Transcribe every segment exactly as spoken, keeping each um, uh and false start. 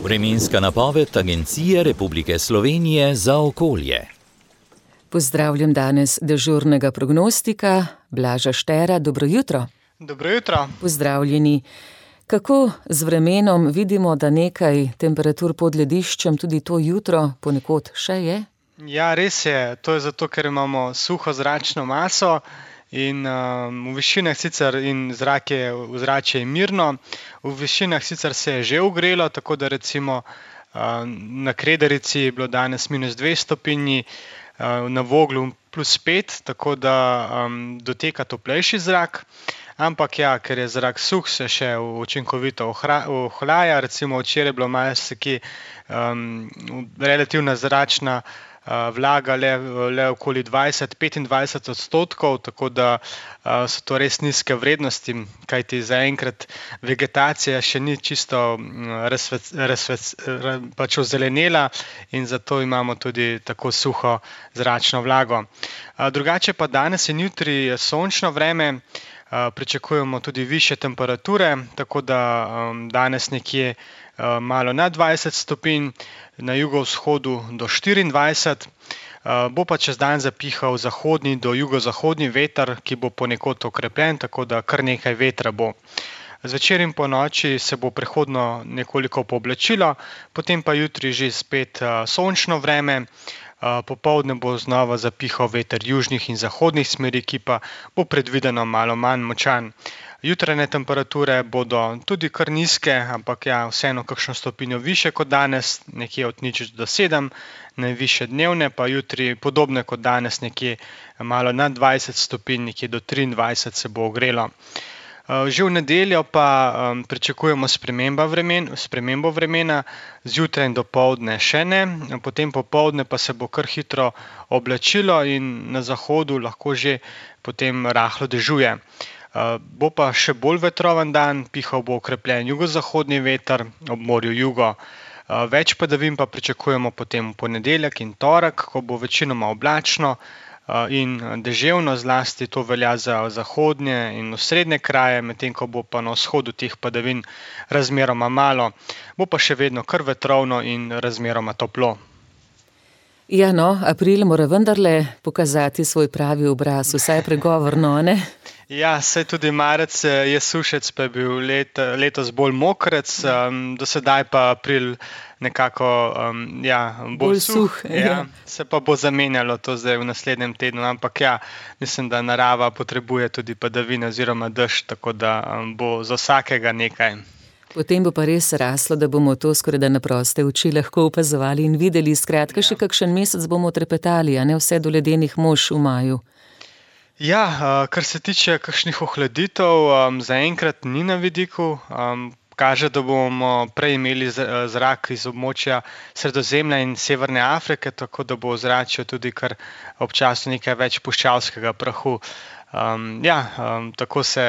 Vremenska napoved Agencije Republike Slovenije za okolje. Pozdravljam danes dežurnega prognostika Blaža Štera. Dobro jutro. Dobro jutro. Pozdravljeni. Kako z vremenom vidimo, da nekaj temperatur pod lediščem tudi to jutro ponekod še je? Ja, res je. To je zato, ker imamo suho zračno maso in um, v višinah sicer in zrak je, ozračje je mirno, v višinah sicer se je že ogrelo, tako da recimo um, na Kredarici je bilo danes minus dve stopinji, um, na Voglu plus pet, tako da um, doteka toplejši zrak. Ampak ja, ker je zrak suh, se še učinkovito ohlaja. Recimo včeraj je bilo marsikje um, relativna zračna uh, vlaga le, le okoli dvajset do petindvajset odstotkov, tako da uh, so to res nizke vrednosti, kajti zaenkrat vegetacija še ni čisto razsvec, razsvec, pač ozelenela in zato imamo tudi tako suho zračno vlago. Uh, drugače pa danes in jutri je sončno vreme. Uh, pričakujemo tudi višje temperature, tako da um, danes nekje uh, malo nad dvajset stopinj, na jugovzhodu do štiriindvajset. Uh, bo pa čez dan zapihal zahodni do jugozahodni veter, ki bo ponekod okrepljen, tako da kar nekaj vetra bo. Zvečer in po noči se bo prehodno nekoliko pooblačilo, potem pa jutri že spet uh, sončno vreme. Uh, popoldne bo znova zapihal veter južnih in zahodnih smeri, ki pa bo predvideno malo manj močan. Jutranje temperature bodo tudi kar nizke, ampak ja, vseeno kakšno stopinjo više kot danes, nekje od nič do sedem, najvišje dnevne, pa jutri podobne kot danes, nekje malo nad dvajset stopinj, nekje do triindvajset se bo ogrelo. Že v nedeljo pa um, pričakujemo sprememba vremen, spremembo vremena, zjutraj in dopoldne še ne, potem popoldne pa se bo kar hitro oblačilo in na zahodu lahko že potem rahlo dežuje. Uh, bo pa še bolj vetroven dan, pihal bo okrepljen jugozahodni veter, ob morju jugo. Uh, več padavin pa pričakujemo potem v ponedeljek in torek, ko bo večinoma oblačno in deževno, zlasti to velja za zahodnje in osrednje kraje, medtem ko bo pa na vzhodu teh padavin razmeroma malo. Bo pa še vedno kar vetrovno in razmeroma toplo. Ja, no, april mora vendarle pokazati svoj pravi obraz, vsaj pregovorno, ne? Ja, saj tudi marec je sušec, pa je bil let, letos bolj mokrec, um, do sedaj pa april nekako um, ja, bolj, bolj suh. suh ja. Ja, se pa bo zamenjalo to zdaj v naslednjem tednu, ampak ja, mislim, da narava potrebuje tudi padavine oziroma dež, tako da um, bo za vsakega nekaj. Potem bo pa res raslo, da bomo to skoraj da na proste oči lahko opazovali in videli. Skratka, ja. Še kakšen mesec bomo trepetali, a ne vse do ledenih mož v maju. Ja, kar se tiče kakšnih ohladitev, zaenkrat ni na vidiku. Kaže, da bomo prej imeli zrak iz območja Sredozemlja in Severne Afrike, tako da bo v zraku tudi kar občasno nekaj več puščavskega prahu. Um, ja, um, tako se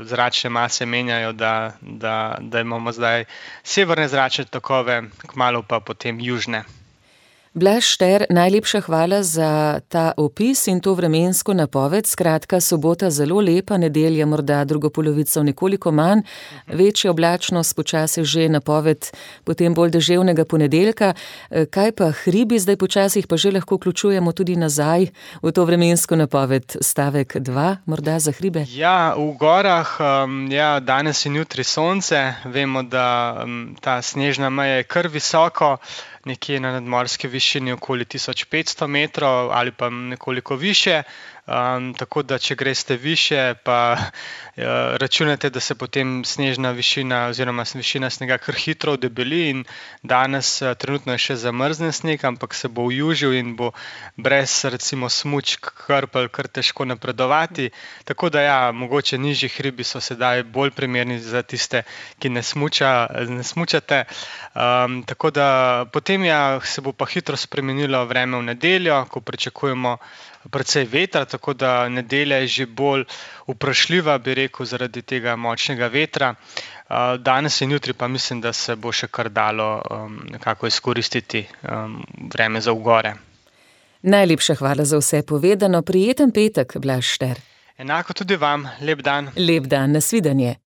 zračne mase menjajo, da, da, da imamo zdaj severne zračne tokove, kmalu pa potem južne. Blaž Šter, najlepša hvala za ta opis in to vremensko napoved. Skratka, sobota zelo lepa, nedelja morda drugo polovico nekoliko manj, večja oblačnost, počasi že napoved, potem bolj deževnega ponedeljka. Kaj pa hribi, zdaj počasih pa že lahko vključujemo tudi nazaj v to vremensko napoved, stavek dva, morda za hribe? Ja, v gorah, um, ja, danes in jutri sonce, vemo, da um, ta snežna meja je kar visoko, nekje na nadmorski višini okoli tisoč petsto metrov ali pa nekoliko više. Um, tako da, če greste više, pa uh, računate, da se potem snežna višina oziroma višina snega kar hitro odebeli in danes uh, trenutno je še zamrznen sneg, ampak se bo ujužil in bo brez recimo smučk krpelj kar težko napredovati. Tako da ja, mogoče nižji hribi so sedaj bolj primerni za tiste, ki ne, smuča, ne smučate. Um, tako da potem ja, se bo pa hitro spremenilo vreme v nedeljo, ko pričakujemo precej vetra, tako da nedelja je že bolj vprašljiva, bi rekel, zaradi tega močnega vetra. Danes in jutri pa mislim, da se bo še kar dalo um, nekako izkoristiti um, vreme za v gore. Najlepša hvala za vse povedano. Prijeten petek, Blaž Šter. Enako tudi vam. Lep dan. Lep dan, nasvidenje.